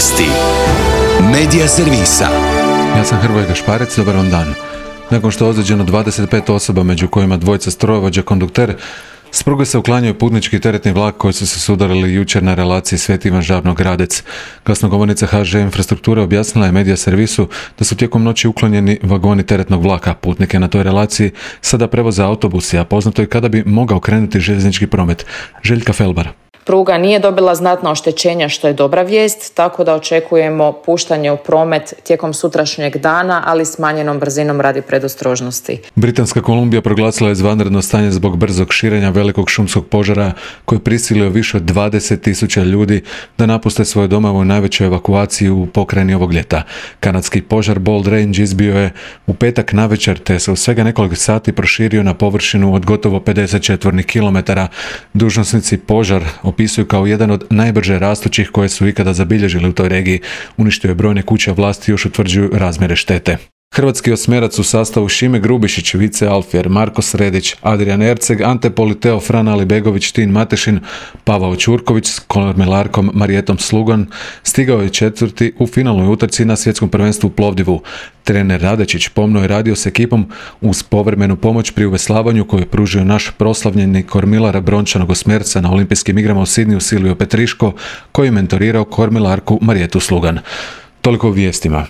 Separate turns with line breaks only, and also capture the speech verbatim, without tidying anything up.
Vijesti Medija servisa.
Ja sam Hrvoje Gašparec, dobar vam dan. Nakon što je ozlijeđeno dvadeset pet osoba, među kojima dvojica strojovođa kondukter, s pruge se uklanjaju putnički i teretni vlak koji su se sudarili jučer na relaciji Sveti Ivan Žabno-Gradec. Glasnogovornica ha že Infrastrukture objasnila je Medija servisu da su tijekom noći uklonjeni vagoni teretnog vlaka. Putnike na toj relaciji sada prevoze autobusi, a poznato je kada bi mogao krenuti željeznički promet. Željka Felbar.
Pruga nije dobila znatna oštećenja, što je dobra vijest, tako da očekujemo puštanje u promet tijekom sutrašnjeg dana, ali smanjenom brzinom radi predostrožnosti.
Britanska Kolumbija proglasila je izvanredno stanje zbog brzog širenja velikog šumskog požara koji je prisilio više od dvadeset tisuća ljudi da napuste svoje domove u najvećoj evakuaciji u pokrajini ovog ljeta. Kanadski požar Bold Range izbio je u petak navečer, te se u svega nekoliko sati proširio na površinu od gotovo pedeset četvornih kilometara. Dužnosnici požar opisuju kao jedan od najbrže rastućih koje su ikada zabilježili u toj regiji. Uništio je brojne kuće, a vlasti još utvrđuju razmjere štete. Hrvatski osmerac u sastavu Šime Grubišić, Vice Alfier, Marko Sredić, Adrian Erceg, Ante Politeo, Fran Alibegović, Tin Matešin, Pavao Ćurković s kormilarkom Marijetom Slugan stigao je četvrti u finalnoj utrci na svjetskom prvenstvu u Plovdivu. Trener Radečić pomno je radio s ekipom uz povremenu pomoć pri uveslavanju koju je pružio naš proslavljeni kormilar brončanog osmerca na olimpijskim igrama u Sidniju Silvio Petriško, koji je mentorirao kormilarku Marijetu Slugan. Toliko u vijestima.